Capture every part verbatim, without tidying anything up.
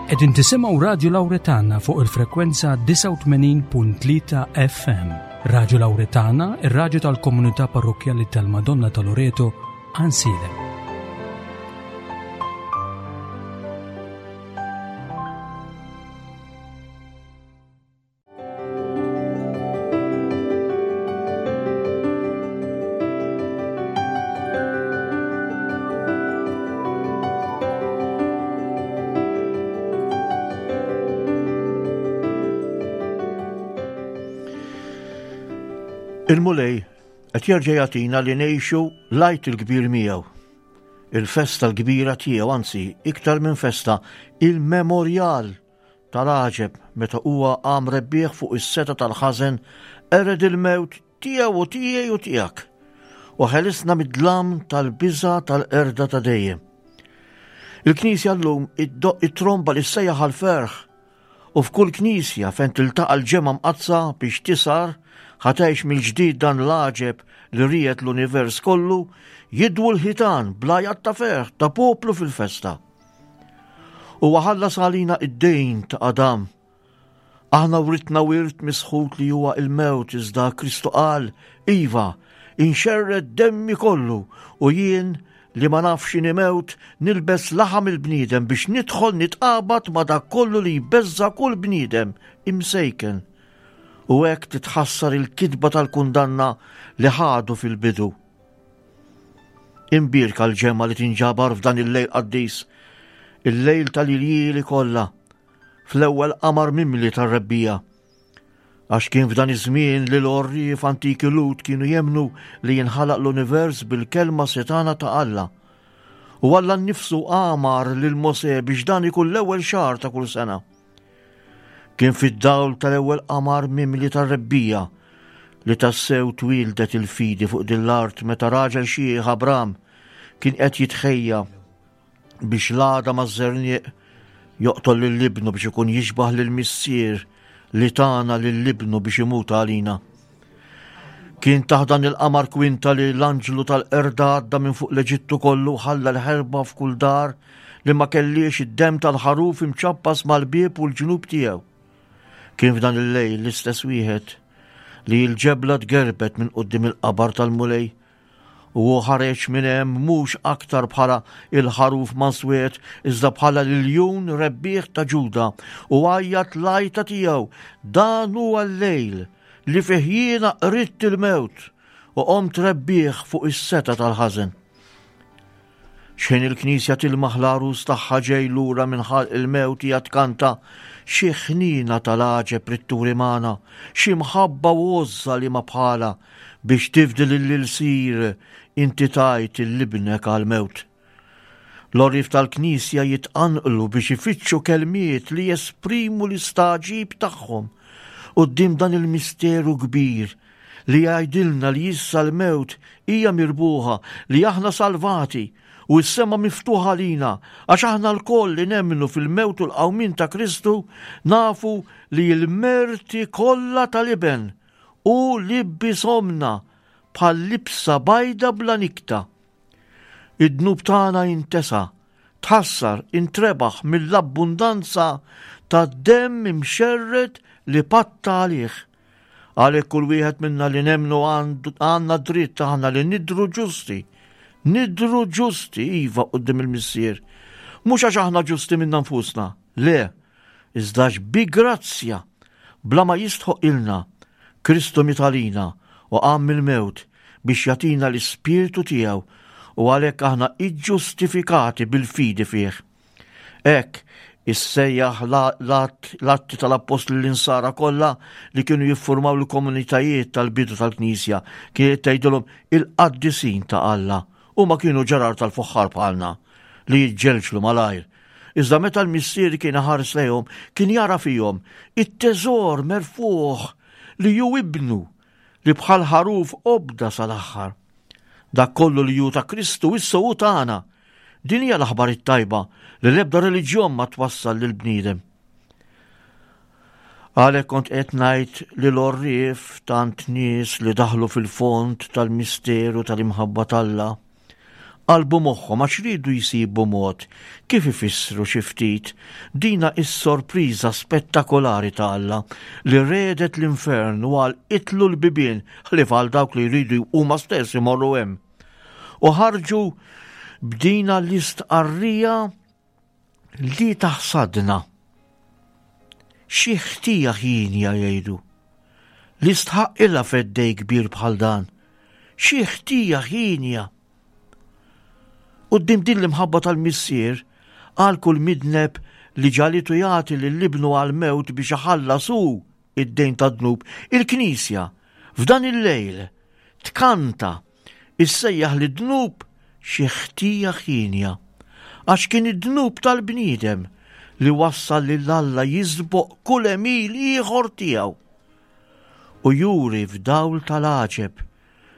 Qegħdin tisimgħu Radju Lawretana fuq il-frekwenza disgħa u tmenin punt tlieta F M. Radju Lawretana, ir-radju tal-komunità parrokkjali tal-Madonna ta' Loreto, Għajnsielem. Il-Mulej qed jerġa' jagħtina li ngħixu l-Għid il-kbir miegħu. Il-festa l-kbira tiegħu, anzi, iktar minn festa, il-memorjal tal-għaġeb meta huwa qam rebbieħ fuq is-seta tal-ħażen, ered il-mewt tiegħu u tiegħi u tiegħek, u ħelisna mid-dlam tal-biża' tal-qerda ta' dejjem. Il-Knisja llum iddoq it-tromba li ssejjaħ għall-ferħ, u f'kull knisja fejn tiltaqa' l-ġemgħa mqaddsa biex tisar ħatejx mill-ġdid dan l-għaġeb li ried l-univers kollu, jidwu l-ħitan bla jgħat ta' ferħ ta' poplu fil-festa. U ħallas għalina id-dejn ta' Adam. Aħna writna wirt misħut li huwa il-mewt, iżda Kristu qal, Iva, inxerred demmi kollu u jien li ma nafx x'inhi mewt nilbes laħam il-bniedem biex nidħol nitqabad ma dak kollu li jbeżza kull bniedem imsejken. U hekk titħassar il-kitba tal-kundanna li ħadu fil-bidu. Imbierka l-ġemma li tinġabar f'dan il-lejl qaddis, il-lejl tal-iljieli kollha, fl-ewwel qamar mimli tar-rebbija. Għax kien f'dan iż-żmien li l-għorrief antiki Lut kienu jemnu li jinħalaq l-univers bil-kelma setana ta' Alla. U Alla nnifsu għamar lil Mosè biex dan ikun l-ewwel xahar ta' kull sena. Kien fid-dawl tal-ewwel qamar mimli tar-rebbija li tassew twildet il-fidi fuq din l-art meta raġel xieħ Abram kien qed jitħejja biex l-għada maż-żerniq joqtol lil ibnu biex ikun jixbah lil missier li tana lil ibnu biex imut għalina. Kien taħt dan il-qamar kwinta li l-anġlu tal-qerda għadda minn fuq l-Eġittu kollu ħalla l-ħerba f'kull dar li ma kellix id-demm tal-ħaruf imċappas mal-bieb u l-ġnub tiegħu. Kien f'dan il-lejl l-istess wieħed li l-ġebla tgerbet minn quddiem il-qabar tal-Mulej u hu ħareġ minn hemm mhux aktar bħala il-ħaruf manswet iżda bħala l-iljun rebbieħ ta' Ġuda u għajjat l-għajta tiegħu, dan huwa l-lejl li fih jiena qridt il-mewt u qomt rebbieħ fuq is-seta tal-ħażen. Xejn il-Knisja tilmaħ l-għarus tagħha ġej lura minn ħalq il-mewt hija tkanta xi ħnina tal-għaġeb ritturi magħna, xi mħabba u għożża li ma bħala biex tifdi lill-ilsir inti tajt il-libnek għal-mewt. L-għorrief tal-Knisja jitqanqlu biex ifittxu kelmiet li jesprimu l-istaġib tagħhom quddiem dan il-misteru kbir li jgħidilna li issa l-mewt hija mirbuħa, li aħna salvati u s-sema miftuħa lina, għax aħna lkoll li nemmnu fil-mewt u l-qawmien ta' Kristu nafu li l-merti kollha tal-iben u li bisomna bħal libsa bajda bla nikta. Id-dnub tagħna jintesa, tħassar, intrebaħ mill-abbundanza ta' demm imxerred li patta għalih. Għalhekk kull wieħed minna li nemmnu għandu, għandna dritt aħna li nidru ġusti. Nidru ġusti, iva, quddiem il-Missier. Mhux għax aħna ġusti minna nfusna, le, iżda għax bi grazzja, bla ma jistħoq ilna, Kristu miet għalina u qam mill-mewt biex jagħtina l-Ispirtu tiegħu u għalhekk aħna iġġustifikati bil-fidi fih. Hekk issejjaħ la-, l-att, l-atti tal-Appostli l-Insara kollha li kienu jiffurmaw l-komunitajiet tal-bidu tal-Knisja, kienet tgħidilhom il-qaddisin ta' Alla. Huma kienu ġarar tal-fuħħar bħalna li jiġġelġlu malajr. Iżda meta l-missier kien iħares lejhom, kien jara fihom it-teżor merfuħ li ju ibnu li bħal ħaruf obda sal-aħħar. Dak kollu li ju ta' Kristu issa hu tagħna. Din hija l-aħbar it-tajba li l-ebda reliġjon ma twassal lil bniedem. Għalhekk kont qed ngħid li l-għorrief tant nies li daħlu fil-fond tal-misteru tal-imħabba t'Alla Qalbu moħħhom għax riedu jsibu mod kif ifissru xi ftit dina is-sorpriża spettakolari ta' Alla li redet l-infern u għalqitlu l-bibien ħlief għal dawk li jridu huma stess imorru hemm. U ħarġu b'dina l-istqarrija li taħsadna. Xi ħtija ħienja jgħidu li stħaqqilha feddej kbir bħal dan. Xi ħtija ħienja. Quddiem din l-imħabba tal-Missier għal kull midneb li ġagħlitu jagħti lil ibnu għal-mewt biex iħallas hu id-dejn tad-dnub, il-Knisja f'dan il-lejl tkanta issejjaħ lid-dnub xi ħtija ħienja, għax kien id-dnub tal-bniedem li wassal lil Alla jisboq kull għemil ieħor tiegħu u juri f'dawl tal-għaġeb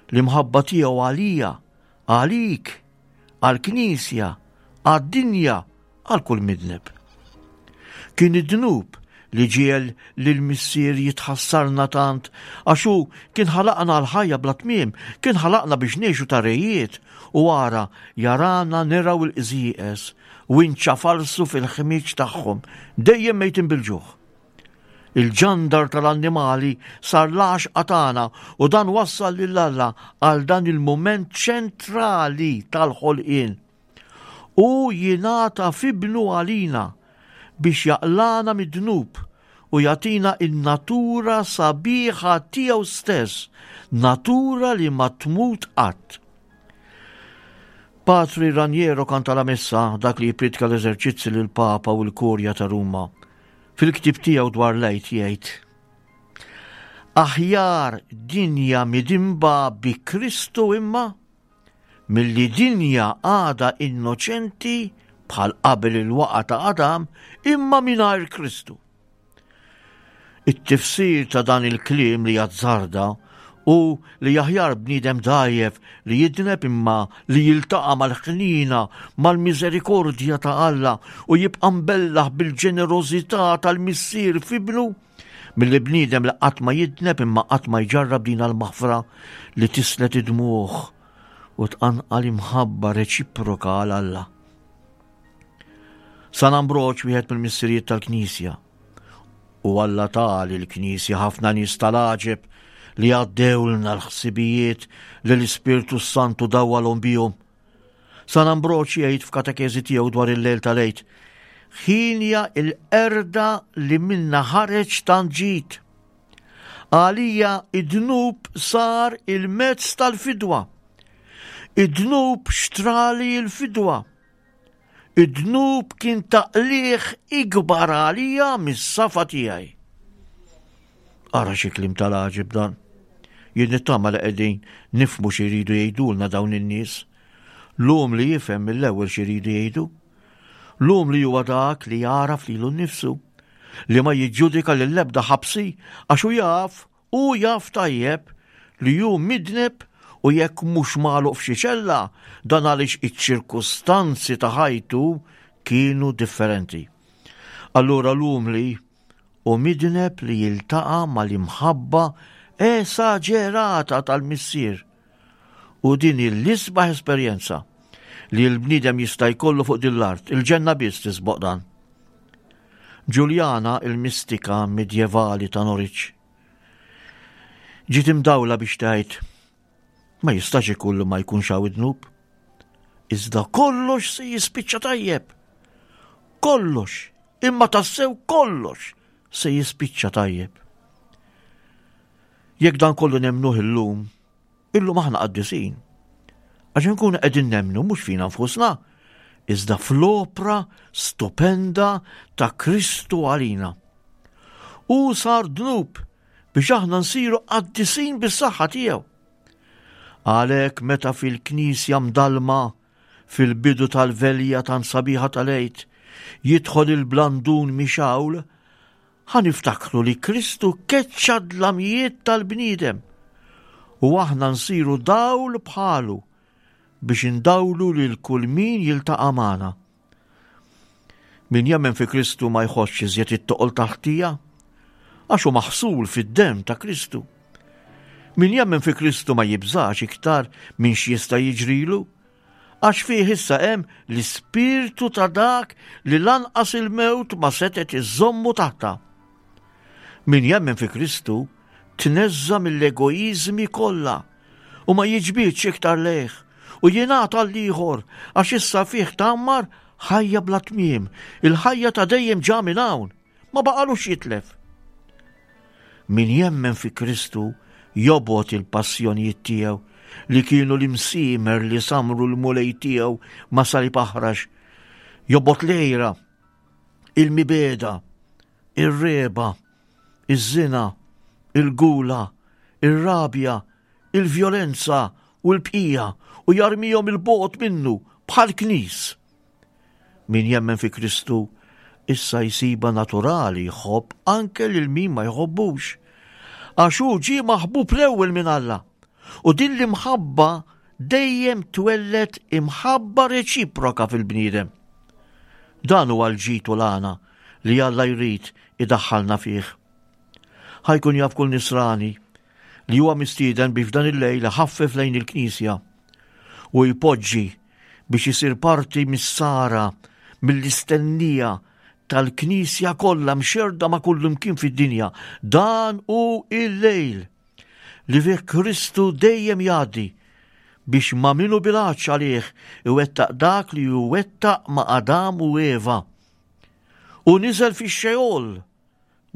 l-imħabba tiegħu għalija, għalik, għall-Knisja, għad-dinja, għal kull midneb. Kien id-dnub li ġiegħel lill-Missier jitħassarna tant għax hu kien ħalaqna għal ħajja bla tmiem, kien ħalaqna biex ngħixu ta' rejiet u ara jarana nirgħu l-qżieqeż u nċafalsu fil-ħmieġ tagħhom, dejjem mejtin bil-ġuħ. Il-ġandar tal-annimali sar l-għaxqa tagħna u dan wassal lil Alla għal dan il-mument ċentrali tal-ħolqien. U jingħata f'ibnu għalina biex jaqlana mid-dnub u jagħtina in-natura sabiħa tiegħu stess, natura li ma tmut qatt. Patri Raniero Cantalamessa, dak li jippriedka l-eżerċizzi lil Papa u l-Kurja ta' Ruma, fil-ktib tiegħu dwar l-Għid jgħid: Aħjar dinja midinba bi Kristu imma milli dinja għada innoċenti bħal qabel il-waqa ta' Adam imma mingħajr Kristu. It-tifsir ta' dan il-kliem li jazzarda u li aħjar bniedem dgħajjef li jidneb imma li jiltaqa' mal-ħnina, mal-miżerikordja ta' Alla u jibqa' mbellaħ bil-ġenerożità tal-Missier f'ibnu, milli bniedem li qatt ma jidneb imma qatt ma jġarrab din l-maħfra li tislet id-dmugħ u tqanqal imħabba reċiproka għal Alla. San Ambroġ, wieħed mill-missirijiet tal-Knisja, u Alla ta lill-Knisja ħafna nies tal-għaġeb li għaddewlna l-ħsibijiet li l-Ispirtu Santu dawwalhom bihom. San Ambroġ jgħid f'katekeżi tiegħu dwar il-lejl tal-Għid: ħienja il-qerda li minna ħareġ tant ġid. Għalija id-dnub sar il-mezz tal-fidwa. Id-dnub xtrali l-fidwa. Id-dnub kien taqliħ ikbar għalija mis-safa tiegħi. Ara xi kliem tal-għaġeb dan. Jien nittama li qegħdin nifhmu xi jridu jgħidulna dawn in-nies. L-um li jifhem mill-ewwel xi jridu jgħidu. L-um li huwa dak li jagħraf lilu nnifsu, li ma jiġġudika lill-ebda ħabsi għax hu jaf, hu jaf tajjeb li hu midneb u jekk mhux magħluq f'xi ċella, dan għaliex iċ-ċirkustanzi ta' ħajtu kienu differenti. Allura l-umli u midneb li jiltaqa' mal-imħabba esaġerata tal-Missier. U din l-isbaħ esperjenza li l-bniedem jista' jkollu fuq din l-art, il-ġenna biss tisboq dan. Ġuljana, il-mistika medjevali ta' Norwich, ġiet imdawla biex tgħid ma jistax ikun li ma jkunx hawn id-dnub. Iżda kollox se jispiċċa tajjeb. Kollox, imma tassew kollox se jispiċċa tajjeb. Jekk dan kollu nemnuh illum, illum aħna qaddisin. Għax nkunu qegħdin nemnu mhux fina nfusna, iżda fl-opra stupenda ta' Kristu għalina. U sar dnub biex aħna nsiru qaddisin bis-saħħa tiegħu. Għalhekk meta fil-knisja mdalma fil-bidu tal-velja tan sabiħa tal-Għid jidħol il-blandun mixawl, ħa niftakru li Kristu keċċa dlamijiet tal-bniedem u aħna nsiru dawl bħalu biex indawlu lil kull min jiltaqa' magħna. Min jemmen fi Kristu ma jħossx iżjed it-toqol tal-ħtija, għax hu maħsul fid-demm ta' Kristu. Min jemmen fi Kristu ma jibżax iktar minn x'jista' jiġrilu, Għax fih issa hemm l-ispirtu ta' dak li lanqas il-mewt ma setgħet iżommu taħta. Min jemmen fi Kristu tneżża mill-egoiżmi kollha u ma jiġbidx iktar lejh u jingħata l-ieħor għax issa fih tgħammar ħajja bla tmiem, il-ħajja ta' dejjem ġa minn hawn, ma baqalux jitlef. Min jemmen fi Kristu jobgħod il-passjonijiet tiegħu li kienu l-imsiemer li samru l-Mulej tiegħu ma' salib aħrax. Jobgħod l-għira, il-mibegħda, ir-regħba, iż-żina, il-gula, ir-rabja, il-vjolenza u l-bqija u jarmihom 'il bogħod minnu bħal knis. Min jemmen fi Kristu issa jsibha naturali jħobb anke lil min ma jħobbux. Għax hu ġie maħbub l-ewwel minn Alla. U din l-imħabba dejjem twelled imħabba reċiproka fil-bniedem. Dan huwa l-ġid u l-għana li Alla jrid idaħħalna fih. Ħa jkun jaf kull nisrani li huwa mistieden biex f'dan il-lejl iħaffef lejn il-Knisja u jpoġġi biex isir parti mis-sara mill-istennija tal-Knisja kollha mxerda ma' kullimkien fid-dinja. Dan hu il-lejl li fih Kristu dejjem jgħaddi biex ma' min hu bil-għatx għalih iwettaq dak li wettaq ma' Adam u Eva. U niżel fix-Xeol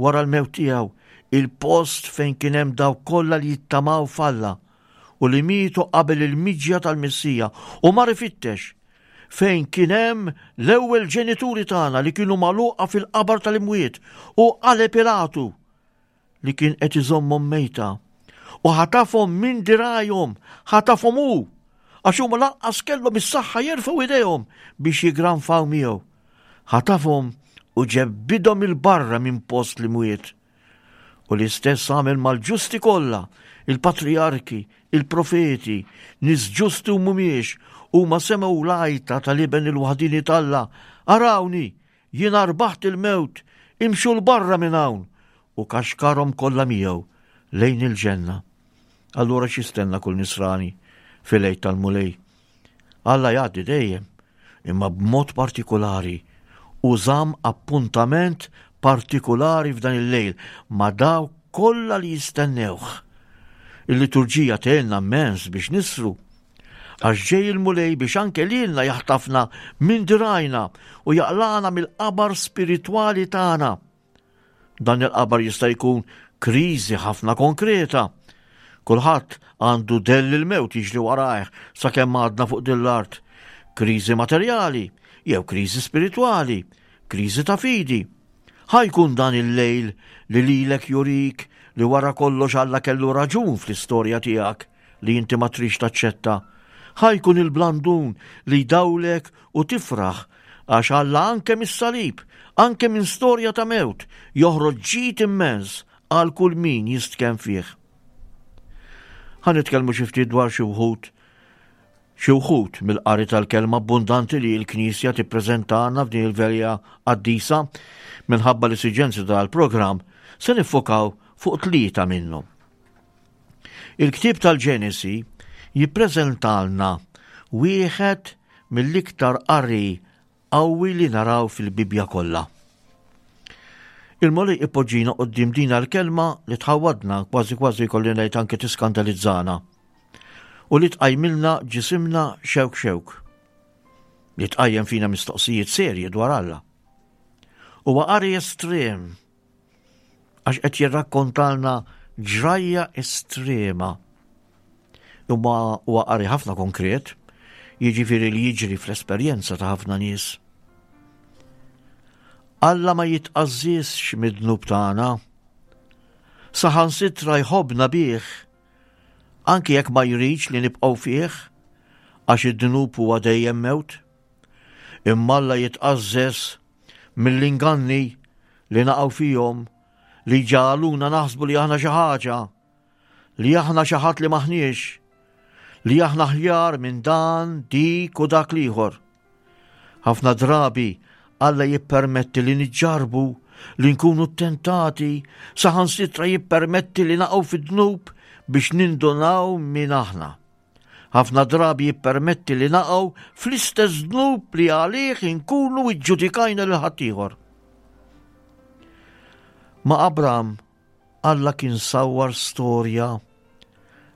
wara l-mewt tiegħu, il-post fejn kien hemm dawk kollha li jittamaw f'Alla u li mietu qabel il-miġja tal-Messija, u mar ifittex fejn kien hemm l-ewwel ġenituri tagħna li kienu magħluqa fil-qabar tal-imwiet u qaleb Pilatu li kien qed iżommhom mejta u ħatafhom minn dirajhom, ħatafhom hu, għax huma lanqas kellhom is-saħħa jerfgħu idejhom biex jigranfaw miegħu. Ħatafhom u ġebbidhom 'il barra minn post l-imwiet. U l-istess għamel mal-ġusti kollha, il-patrijarki, il-profeti, nies ġusti u mhumiex, huma semgħu l-għajta tal-iben il-waħdini t'Alla, arawni, jiena rbaħt il-mewt, imxu 'l barra minn hawn, u kaxkarhom kollha miegħu lejn il-ġenna. Allura x'jistenna kull nisrani fil-Għid tal-Mulej? Alla jgħaddi dejjem, imma b'mod partikolari u żamm appuntament partikolari f'dan il-lejl ma' dawk kollha li jistennewh. Il-liturġija tgħinna immens biex nisru, għax ġej il-Mulej biex anke lilna jaħtafna minn dirajna u jaqlana mill-qabar spiritwali tagħna. Dan il-qabar jista' jkun kriżi ħafna konkreta. Kulħadd għandu dell il-mewt jiġri warajh sakemm għadna fuq din l-art. Kriżi materjali jew kriżi spiritwali, kriżi ta' fidi. Ħa jkun dan il-lejl li lilek jurik li wara kollox Alla kellu raġun fl-istorja tiegħek li inti ma trix taċċetta. Ħa jkun il-blandun li jdawlek u tifraħ għax Alla anke mis-salib, anke minn storja ta' mewt, joħroġ ġid immens għal kull min jistkenn fih. Ħa nitkellmu xi ftit dwar xi wħud xi wħud mill-qari tal-kelma abbundanti li l-Knisja tippreżentana f'din il-velja qaddisa. Minħabba l-esiġenzi tal-programm se niffokaw fuq tlieta minnhom. Il-ktieb tal-Ġenesi jippreżentalna wieħed mill-iktar qari qawwi li naraw fil-Bibbja kollha. Il-Mulej ipoġġina quddiem din l-kelma li tħawwadna, kważi kważi kolli ngħid anke tiskandalizzana, u li tqajmilna ġisimna xewk xewk, li tqajjem fina mistoqsijiet serji dwar Alla. Huwa qari estrem, għax qed jirrakkontalna ġrajja estrema. Imma huwa qari ħafna konkret, jiġifieri li jiġri fl-esperjenza ta' ħafna nies. Alla ma jitqażżisx mid-dnub tagħna, saħansitra jħobbna bih, anki jekk ma jridx li nibqgħu fih, għax id-dnub huwa dejjem mewt. Imma Alla jitqażżes mill-inganni li naqgħu fihom, li ġagħluna naħsbu li aħna xi ħaġa, li aħna xi ħadd li maħniex, li aħna aħjar minn dan, dik u dak l-ieħor. Ħafna drabi Alla jippermetti li niġġarbu, li nkunu tentati, saħansitra jippermetti li naqgħu fid-dnub biex nindunaw min aħna. Ħafna drabi jippermetti li naqgħu fl-istess dnub li għalih inkunu iġġudikajna lil ħaddieħor. Ma' Abram Alla kien sawwar storja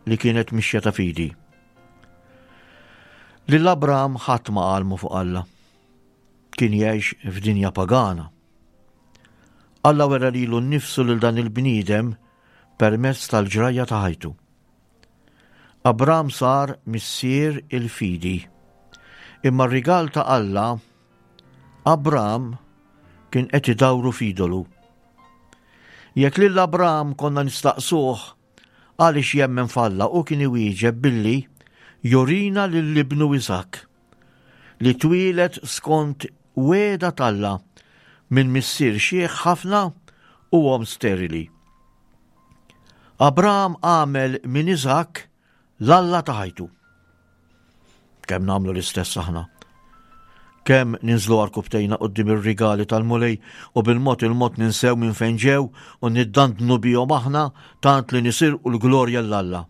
li kienet mixja ta' fidi. Lil Abram ħadd ma għallmu fuq Alla. Kien jgħix f'dinja pagana. Alla wera lilu nnifsu lil dan il-bniedem permezz tal-ġrajja ta' ħajtu. Abram sar missier il-fidi. Imma r-rigal ta' Alla, Abram kien qed idawru f'idolu. Jekk lil Abram konna nistaqsuh għaliex jemmen f'Alla, hu kien iwieġeb billi jurina lil ibnu Iżakk li twieled skont wegħda t'Alla minn missier xiħ ħafna u omm sterili. Abram għamel minn Iżakk l-Alla ta' ħajtu. Kemm nagħmlu l-istess aħna? Kemm ninżlu għarkupptejna quddiem ir-rigali tal-Mulej u bil-mod il-mod ninsew minn fejn ġew u niddandnu bihom aħna tant li nisirqu l-glorja 'l Alla.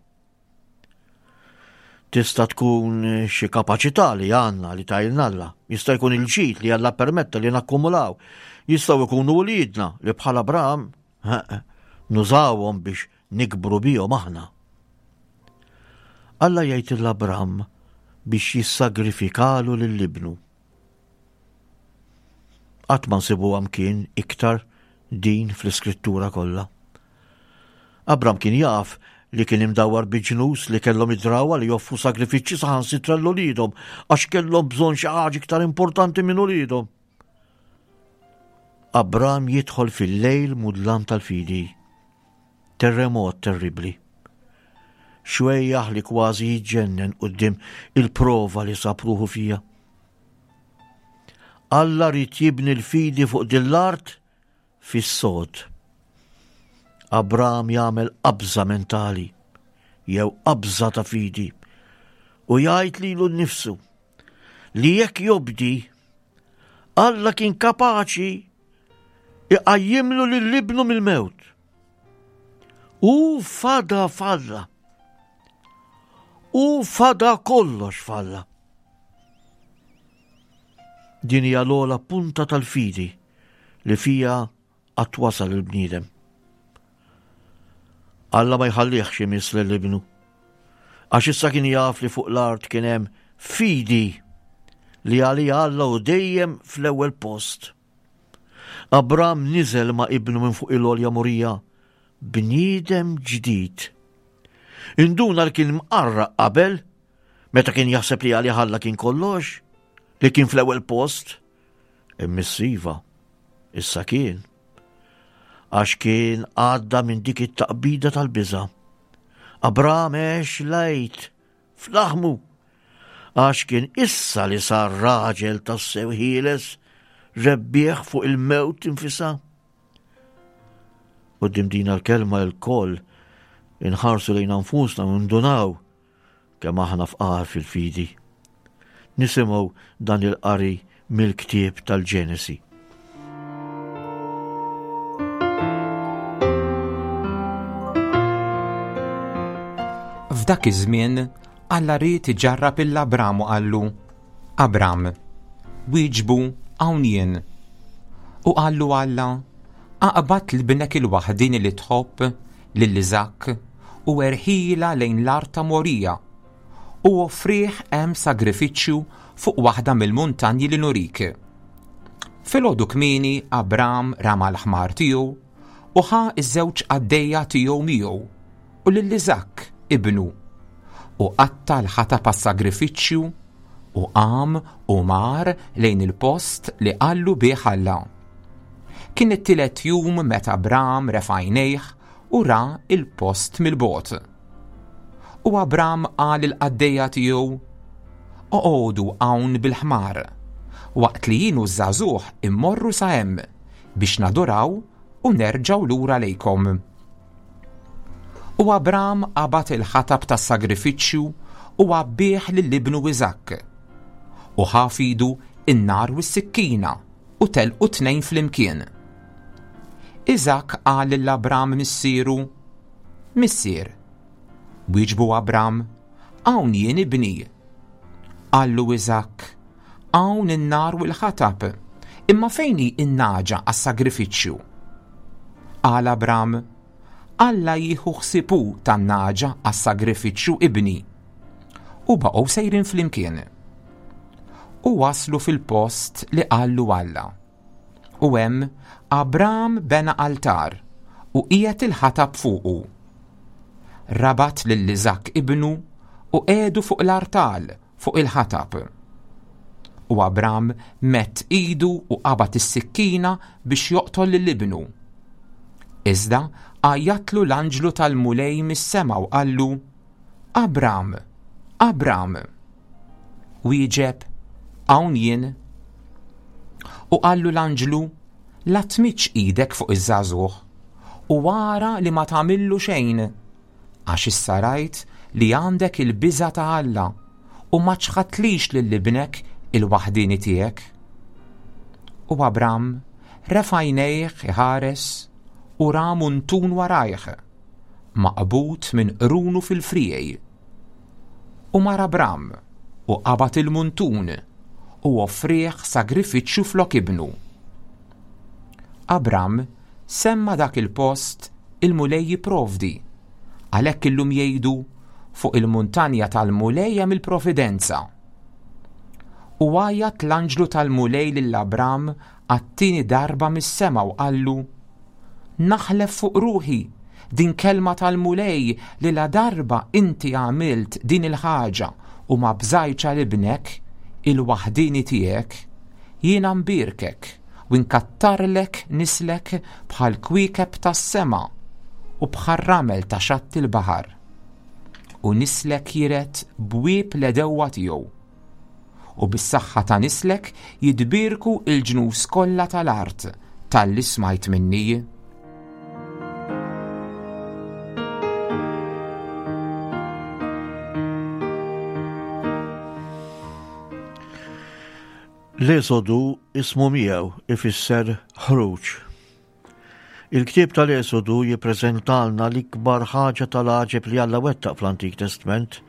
Tista' tkun xi kapaċità li għandna li tajlna Alla, jista' jkun il-ġid li Alla permetta li nakkumulaw, jistgħu jkunu wliedna li bħal Abram nużawhom biex nikbru bihom aħna. Alla jgħid lil Abram biex jissagrifikalu lil ibnu. Qatt ma nsibuha mkien iktar din fl-iskrittura kollha. Abram kien jaf li kien imdawwar bi ġnus li kellhom id-drawwa li joffru sagrifiċċji saħansitra lil uliedhom għax kellhom bżonn xi ħaġa iktar importanti minn uliedhom. Abram jidħol fil-lejl mudlam tal-fidi. Terremot terribbli. Xwejjaħ li kważi jiġġennen quddiem il-prova li sab ruħu fija. Alla ried jibni l-fidi fuq din l-art fis-sod. Abram jagħmel qabża mentali jew qabża ta' fidi u jgħid lilu nnifsu li jekk jobdi Alla kien kapaċi iqajjimlu lil ibnu mill-mewt. U fada falla. U fada kollox falla. Din hija l-ogħla punta tal-fidi li fija qatt wasal il-bniedem. Alla ma jħallihx imiss lil ibnu. Għax issa kien jaf li fuq l-art kien hemm fidi li għalija Alla hu dejjem fl-ewwel post. Abram niżel ma' ibnu minn fuq il-għolja Morija, bniedem ġdid. Induna li kien mqarraq qabel, meta kien jaħseb li għalih Alla kien kollox, li kien fl-ewwel post. Immissiva, issa kien. Għax kien għadda minn dik it-taqbida tal-biża'. Abram għex l-Għid f'laħmu, għax kien issa li sar raġel tassew ħieles, rebbieħ fuq il-mewt infisha. Quddiem din l-kelma lkoll inħarsu lejn anfusna u ndunaw kemm aħna fqar fil-fidi. Nisimgħu dan il-qari mill-ktieb tal-Ġenesi. F'dak iż-żmien Alla ried iġarrab lil Abram u qallu, Abram, wieġbu hawn jien. U qallu Alla, aqbad lil ibnek il-waħdini li tħobb, lil Iżakk, u erħila lejn l-art ta' Morija, u offrih hemm sagrifiċċju fuq waħda mill-muntanji li nurik. Filgħodu kmieni Abram rama l-ħmar tiegħu u ħa ż-żewġ qaddejja tiegħu miegħu u lil Iżakk ibnu, u qatta' l-ħatab għas-sagrifiċċju u qam u mar lejn il-post li qallu bih Alla. Kien it-tielet jum meta Abram refa' għajnejh u ra il-post mill-bogħod. U Abram qal il-qaddejja tiegħu, Oqogħdu hawn bil-ħmar, waqt li jien u ż-żagħżugħ immorru sa hemm biex naduraw u nerġgħu lura lejkom. U Abram qabad il-ħatab tas-sagrifiċċju u għabbih lil ibnu Iżakk. U ħa f'idu n-nar u s-sikkina u telqu tnejn flimkien. Iżakk qal lil Abram missieru, Missier. Wieġbu Abram, Hawn jien ibni. Qallu Iżakk, Hawn in-nar u l-ħatab, imma fejn hi n-nagħġa għas-sagrifiċċju? Qal Abram, Alla jieħu ħsieb hu tan-nagħġa għas-sagrifiċċju ibni. U baqgħu sejrin flimkien. U waslu fil-post li qallu Alla. U hemm Abram bena altar u qiegħed il-ħatab fuqu. Rabat lil Iżakk ibnu u qiegħdu fuq l-artal fuq il-ħatab. U Abram medd idu u qabad is-sikkina biex joqtol lil ibnu. Iżda għajjatlu l-anġlu tal-Mulej mis-sema u qallu, Abram, Abram. Wieġeb, Hawn jien. U qallu l-anġlu, La tmiddx idek fuq iż-żagħżugħ u ara li ma tagħmillu xejn, għax issa rajt li għandek il-biża' ta' Alla u ma ċħadtlix lil ibnek il-waħdieni tiegħek. U Abram refa' għajnejh iħares u ra muntun warajh, maqbud minn qrunu fil-friegħi. U mar Abram u qabad il-muntun u offrieh sagrifiċċju flok ibnu. Abram semma dak il-post il-Mulej jipprovdi, għalhekk illum jgħidu fuq il-muntanja tal-Mulej hemm il-providenza. U għajjat l-anġlu tal-Mulej lil Abram għat-tieni darba mis-sema u qallu, Naħlef fuq ruħi, din kelma tal-Mulej li la darba inti għamilt din il-ħaġa u ma bżajtx għal ibnek, il-waħdieni tiegħek, jiena mbierkek u nkattarlek nislek bħal kwiekeb tas-sema u bħal ramel ta' xatt il-baħar. U nislek jiret bwieb l-għedewwa tiegħu. U bis-saħħa ta' nislek jitbierku il-ġnus kollha tal-art talli smajt minni. L-Esodu ismu miegħu ifisser ħruġ. Il-ktieb tal-Esodu jippreżentalna l-ikbar ħaġa tal-għaġeb li Alla wettaq fl-Antik Testment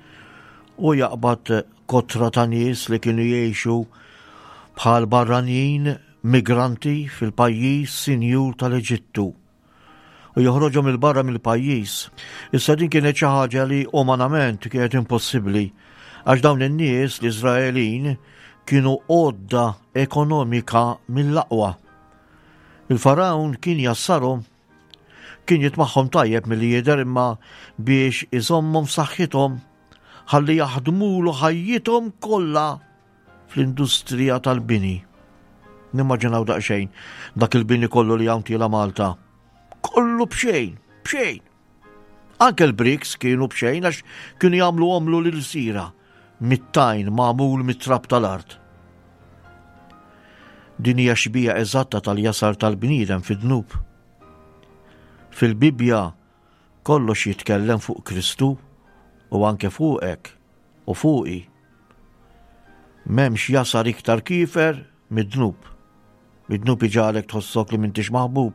u jaqbad kotra ta' nies li kienu jgħixu bħal barranin migranti fil-pajjiż sinjur tal-Eġittu u joħroġhom 'il barra mill-pajjiż. Issa din kienet xi ħaġa li umanament kienet impossibbli għax dawn in-nies l-Iżraelin kienu għodda ekonomika mill-aqwa. Il-Farawn kien jassarhom, kien jitmagħhom tajjeb milli jidher imma biex iżommhom f'saħħithom ħalli jaħdmulu ħajjithom kollha fl-industrija tal-bini. Nimmaġinaw daqsxejn dak il-bini kollu li hawn tiela Malta. Kollu b'xejn, b'xejn. Anke l-bricks kienu b'xejn għax kienu jagħmlu omlu lil sira mit-tajn magħmul mit-trab tal-art. Din hija xbija eżatta tal-jasar tal-bniedem fid-dnub. Fil-Bibbja kollox jitkellem fuq Kristu u anke fuqek u fuqi. M'hemmx jasar iktar kiefer mid-dnub. Mid-dnub iġagħlek tħossok li m'intix maħbub,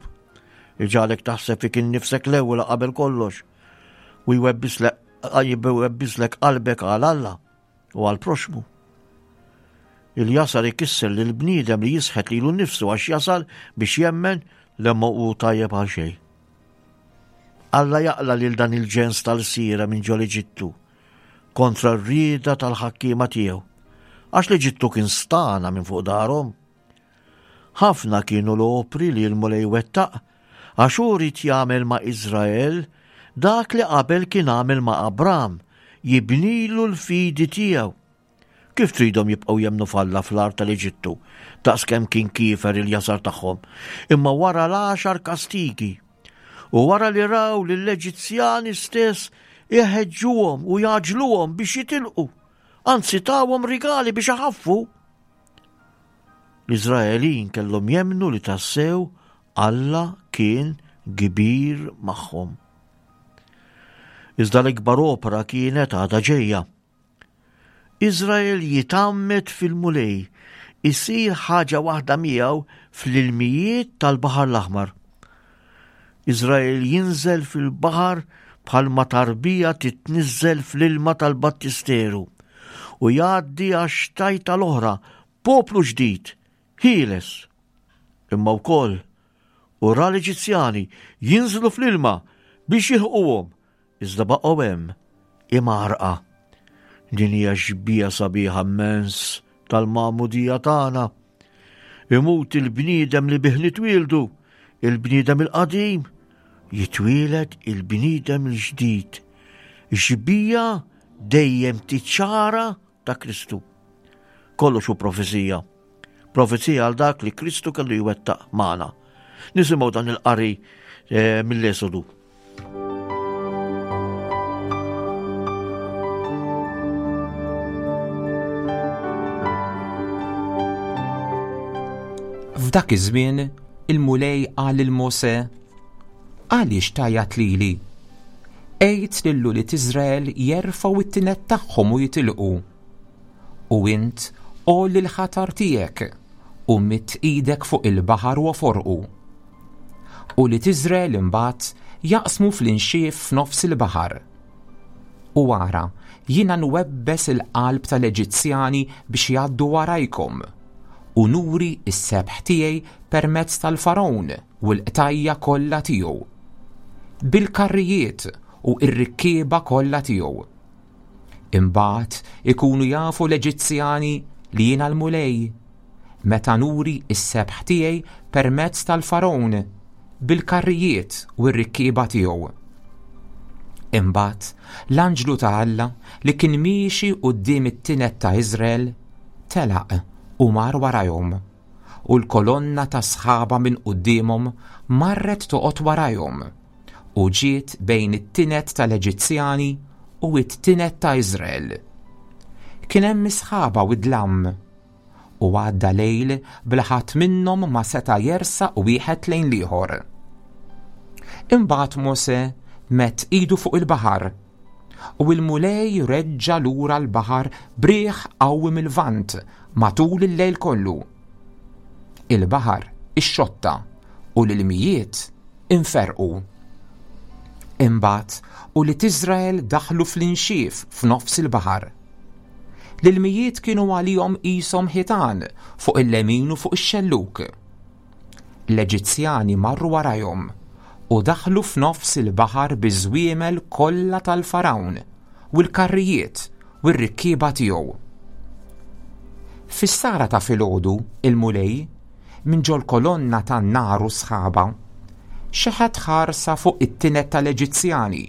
iġagħlek taħseb fik innifsek l-ewwel qabel kollox u jwebbislek qalbek għal Alla u għal proxmu. Il-jasar ikisser lil bniedem li jisħet lilu nnifsu għax jasal biex jemmen li ma hu tajjeb għal xejn. Alla jaqla lil dan il-ġens tal-sira minn ġol Eġittu kontra r-rieda tal-ħakkiema tiegħu, għax l-Eġittu kien stana minn fuq darhom. Ħafna kienu l-opri li l-Mulej wettaq għax hu ried jagħmel ma' Iżrael dak li qabel kien għamel ma' Abram, jibnilu l-fidi tiegħu. Kif tridhom jibqgħu jemmnu f'Alla fl-art tal-Eġittu, daqskemm kien kiefer il-jasar tagħhom, imma wara l-għaxar kastigi u wara li raw lill-Eġizzjani stess iħeġġuhom u jaġluhom biex jitilqu, anzi tawhom rigali biex iħaffu. L-Iżraelin kellhom jemmnu li tassew Alla kien kbir magħhom. Iżda l-ikbar opra kienet għadha ġejja. Iżrael jitgħammed fil-Mulej, isir ħaġa waħda miegħu fl-ilmijiet tal-Baħar l-Aħmar. Iżrael jinżel fil-baħar bħalma tarbija titniżżel fl-ilma tal-battisteru u jgħaddi għax-xtajta l-oħra poplu ġdid, ħieles. Imma wkoll u ra l-Eġizzjani jinżlu fl-ilma biex jilħquhom, iżda baqgħu hemm imgħarrqa. Din hija xbieha sabiħa immens tal-magħmudija tagħna. Imut il-bniedem li bih nitwieldu, il-bniedem il-qadim, jitwieled il-bniedem il-ġdid. Xbieha dejjem tiċċara ta' Kristu. Kollox hu profezija. Profezija għal dak li Kristu kellu jwettaq magħna. Nisimgħu dan il-qari eh, mill-Esodu. F'dak iż-żmien il-Mulej qal lil Mosè: Għaliex tgħajjat lili? Għid lil ulied Iżrael jerfgħu t-tined tagħhom u jitilqu. U int għolli l-ħatar tiegħek u midd idek fuq il-baħar u oforqu. Ulied Iżrael imbagħad jaqsmu fl-inxief f'nofs il-baħar. U ara, jiena nwebbes il-qalb tal-Eġizzjani biex jgħaddu warajkom, u nuri s-sebħ tiegħi permezz tal-Fargħun u l-qtajja kollha tiegħu, bil-karrijiet u r-rikkieba kollha tiegħu. Imbagħad ikunu jafu l-Eġizzjani li jiena l-Mulej, meta nuri s-sebħ tiegħi permezz tal-Fargħun bil-karrijiet u r-rikkieba tiegħu. Imbagħad l-anġlu ta' Alla li kien miexi quddiem it-tined ta' Iżrael telaq u mar warajhom, u l-kolonna ta' sħaba minn quddiemhom marret toqgħod warajhom, u ġiet bejn it-tined tal-Eġizzjani u it-tined ta' Iżrael. Kien hemm is-sħaba u d-dlam, u għadda lejl bla ħadd minnhom ma seta' jersaq wieħed lejn l-ieħor. Imbagħad Mosè medd idu fuq il-baħar, u l-Mulej reġġa' lura l-baħar b'riħ qawwi mill-Lvant matul il-lejl kollu. Il-baħar ixxotta u l-ilmijiet inferqu. Imbagħad ulied Iżrael daħlu fl-inxief f'nofs il-baħar. L-ilmijiet kienu għalihom qishom ħitan fuq il-lemin u fuq ix-xellug. L-Eġizzjani marru warajhom u daħlu f'nofs il-baħar biż-żwiemel kollha tal-Fargħun u l-karrijiet u r-rikkieba tiegħu. Fis-sara ta' filgħodu il-Mulej minn ġol-kolonna tan-nar u sħaba xeħet ħarsa fuq it-tined tal-Eġizzjani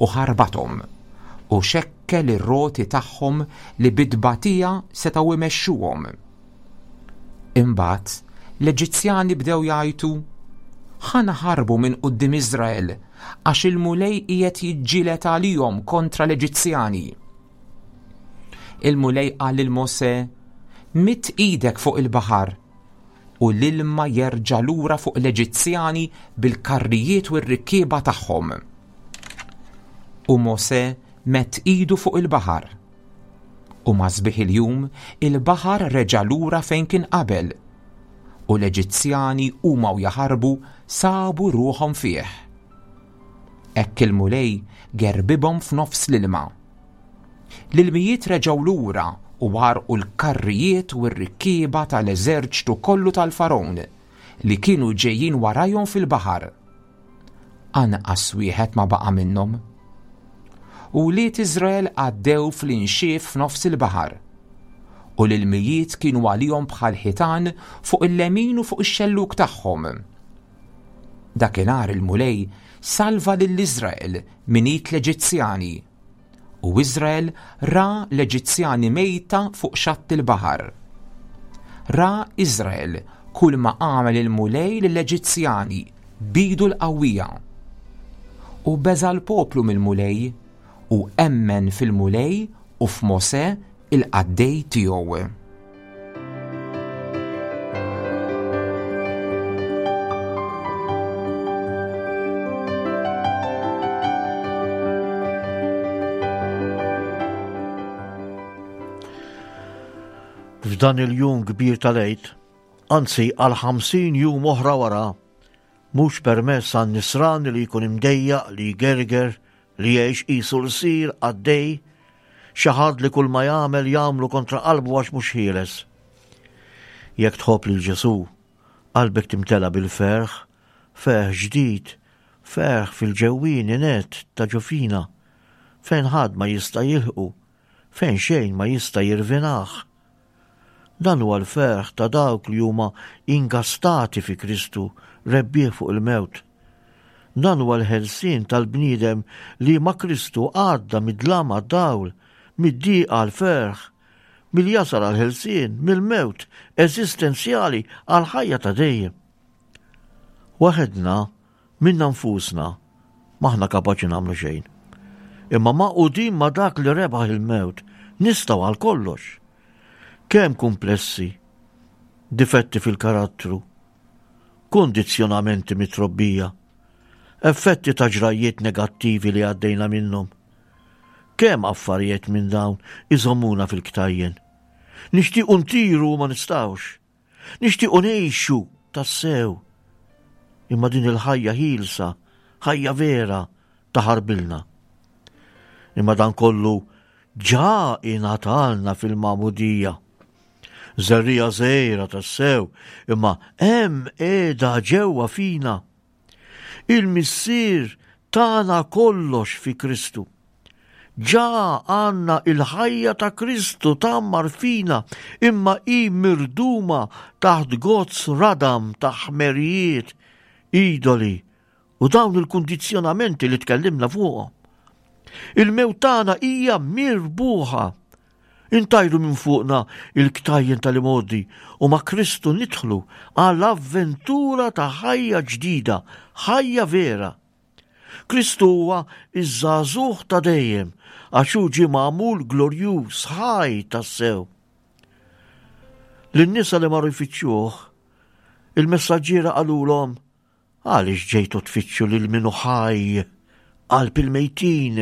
u ħarbathom u xekkel ir-roti tagħhom li bit-tbatija setgħu imexxuhom. Imbagħad l-Eġizzjani bdew jgħajtu: Ħa naħarbu minn quddiem Iżrael għax il-Mulej qiegħed jiġġieled għalihom kontra l-Eġizzjani. Il-Mulej qal lil Mosè: Midd idek fuq il-baħar u l-ilma jerġa' lura fuq l-Eġizzjani bil-karrijiet u r-rikkieba tagħhom. U Mosè medd idu fuq il-baħar. U ma' sbieħ il-jum il-baħar reġa' lura fejn kien qabel, u l-Eġizzjani huma u jaħarbu sabu ruħhom fih. Hekk il-Mulej gerbibhom f'nofs l-ilma. L-ilmijiet reġgħu lura u għarqu l-karrijiet u r-rikkieba tal-eżerċtu kollu tal-Fargħun li kienu ġejjin warajhom fil-baħar. Anqas wieħed ma baqa' minnhom. U wlied Iżrael għaddew fl-inxief f'nofs il-baħar, u l-ilmijiet kienu għalihom bħal ħitan fuq il-lemin u fuq ix-xellug tagħhom. Dakinhar il-Mulej salva lil Iżrael minn id l-Eġizzjani, u Iżrael ra l-Eġizzjani mejta fuq xatt il-baħar. Ra Iżrael kull ma għamel il-Mulej lill-Eġizzjani b'idu l-qawwija. U beża' l-poplu mill-Mulej u emmen fil-Mulej u f'Mosè il-qaddej tiegħu. F'dan il-jum kbir tal-Għid, anzi għal ħamsin jum oħra wara, mhux permess għan nisran li jkun imdejjaq li jgerger li jgħix qisu lsir għaddej, xi ħadd li kull ma jagħmel jagħmlu kontra qalbu għax mhux ħieles. Jekk tħobb lil Ġesù, qalbek timtela bil-ferħ, ferħ ġdid, ferħ fil-ġewwieni net ta' ġo fina, fejn ħadd ma jista' jilħqu, fejn xejn ma jista' jirvinah. Dan huwa l-ferħ ta' dawk li huma ingastati fi Kristu, rebbieħ fuq il-mewt. Dan huwa l-ħelsien tal-bniedem li ma' Kristu għadda mid-dlam għad-dawl, mid-diqa għall-ferħ, mill-jasar għall-ħelsien, mill-mewt eżistenzjali għall-ħajja ta' dejjem. Waħedna, minna nfusna, m'aħna kapaċi nagħmlu xejn. Imma magħqudin ma' dak li rebaħ il-mewt, nistgħu għal kollox. Kemm kumplessi, difetti fil-karattru, kundizzjonamenti mit-trobbija, effetti ta' ġrajjiet negattivi li għaddejna minnhom. Kemm affarijiet minn dawn iżommuna fil-ktajjen. Nixtiequ ntiru u ma nistgħux. Nixtiequ ngħixu tassew. Imma din il-ħajja ħielsa, ħajja vera, taħarbilna. Imma dan kollu ġa ingħatalna fil-magħmudija. Żerriegħa żgħira tassew, imma hemm qiegħda ġewwa fina. Il-Missier tana kollox fi Kristu. Ġa għandna il-ħajja ta' Kristu tgħammar fina, imma hi mirduma taħt gozz radam ta' ħmerijiet, idoli u dawn il-kundizzjonamenti li tkellimna fuqhom. Il-mewt tagħna hija mirbuħa. Intajru minn fuqna il-ktajjen tal-imgħoddi u ma' Kristu nidħlu għal avventura ta' ħajja ġdida, ħajja vera. Kristu huwa iż-żagħżugħ ta' dejjem, għax hu ġie magħmul glorjuż, ħaj tassew. Lin-nisa li marru jfittxuh, il-messaġġiera qalulhom, għaliex ġejtu tfittxu lil min hu ħaj qalb il-mejtin?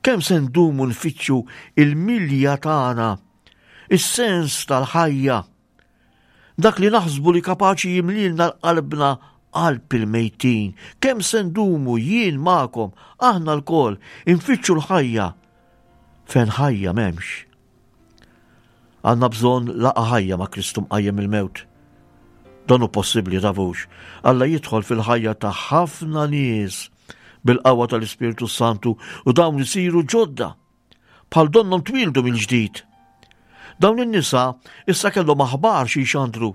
Kemm se ndumu nfittxu il-milja tagħna, is-sens tal-ħajja, dak li naħsbu li kapaċi jimlilna l-qalbna qalb il-mejtin. Kemm se ndumu jien magħkom, aħna lkoll, infittxu l-ħajja fejn ħajja m'hemmx. Għandna bżonn laqgħa ħajja ma' Kristu mqajjem il-mewt. Dan hu possibbli tafux. Alla jidħol fil-ħajja ta' ħafna nies bil-qawwa tal-Ispirtu Santu u dawn isiru ġodda, bħal donnhom twildu mill-ġdid. Dawn in-nisa issa kellhom aħbar xi jxandru.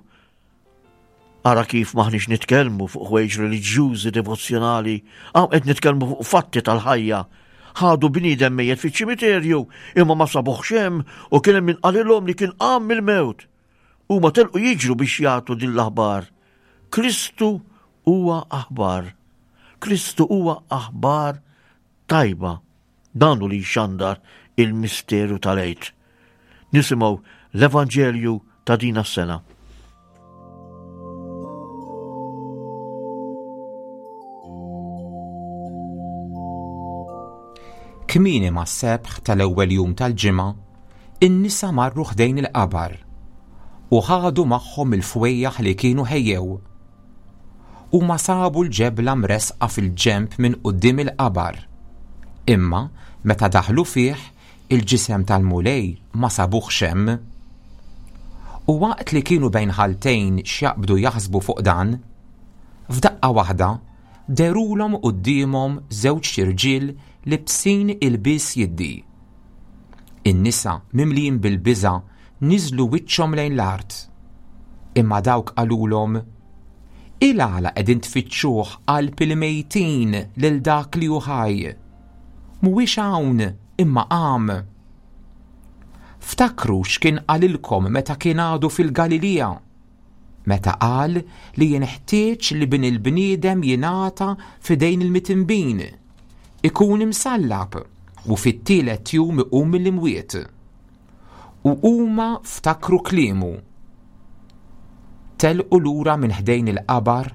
Ara kif maħniex nitkellmu fuq ħwejġ reliġjużi devozzjonali, hawn qed nitkellmu fuq fatti tal-ħajja. Ħadu bniedem mejjet fiċ-ċimiterju imma ma sabuhx hemm u kien hemm min qalilhom li kien qam mill-mewt. Huma telqu jiġru biex jagħtu din l-aħbar. Kristu huwa aħbar. Kristu huwa aħbar tajba. Dan hu li jxandar il-misteru tal-Għid. Nisimgħu l-Evanġelju ta' din is-sena. Kmieni mas-sebħ tal-ewwel jum tal-ġimgħa, in-nisa marru ħdejn il-qabar u ħadu magħhom il-fwejjaħ li kienu ħejjew. Huma sabu l-ġebla mresqa fil-ġenb minn quddiem il-qabar. Imma meta daħlu fih, il-ġisem tal-Mulej ma sabuhx hemm. U waqt li kienu bejn ħaltejn x'jaqbdu jaħsbu fuq dan, f'daqqa waħda derulhom quddiemhom żewġ irġiel libsin ilbies jiddi. In-nisa mimlijin bil-biża' niżlu wiċċhom lejn l-art. Imma dawk qalulhom, il-għala qegħdin tfittxuh qalb il-mejtin lil dak li hu ħaj? Mhuwiex hawn imma qam. Ftakru x'kien qalilkom meta kien għadu fil-Galilija, meta qal li jinħtieġ li bin il-bniedem jingħata f'idejn il-mitinbin, ikun imsallab u fit-tielet jum iqum mill-imwiet. U huma ftakru kliemu. Telqu lura minn ħdejn il-qabar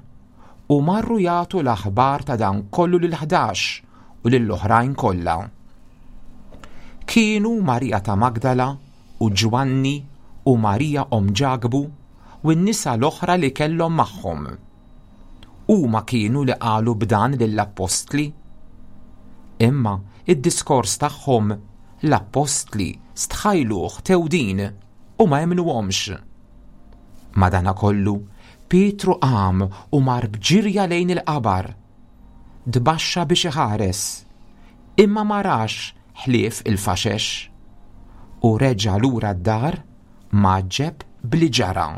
u marru jagħtu l-aħbar ta' dan kollu lil ħdax u lill-oħrajn kollha. Kienu Marija ta' Magdala u Ġwanni u Marija omm Ġakbu u n-nisa l-oħra li kellhom magħhom. Huma kienu li qalu b'dan lill-appostli. Imma id-diskors tagħhom l-appostli stħajluh tewdin u ma emmnuhomx. Madanakollu, Pietru qam u mar b'ġirja lejn il-qabar. Tbaxxa biex iħares, imma ma rax ħlief il-faxex. U reġa' lura d-dar mgħaġġeb b'li ġara.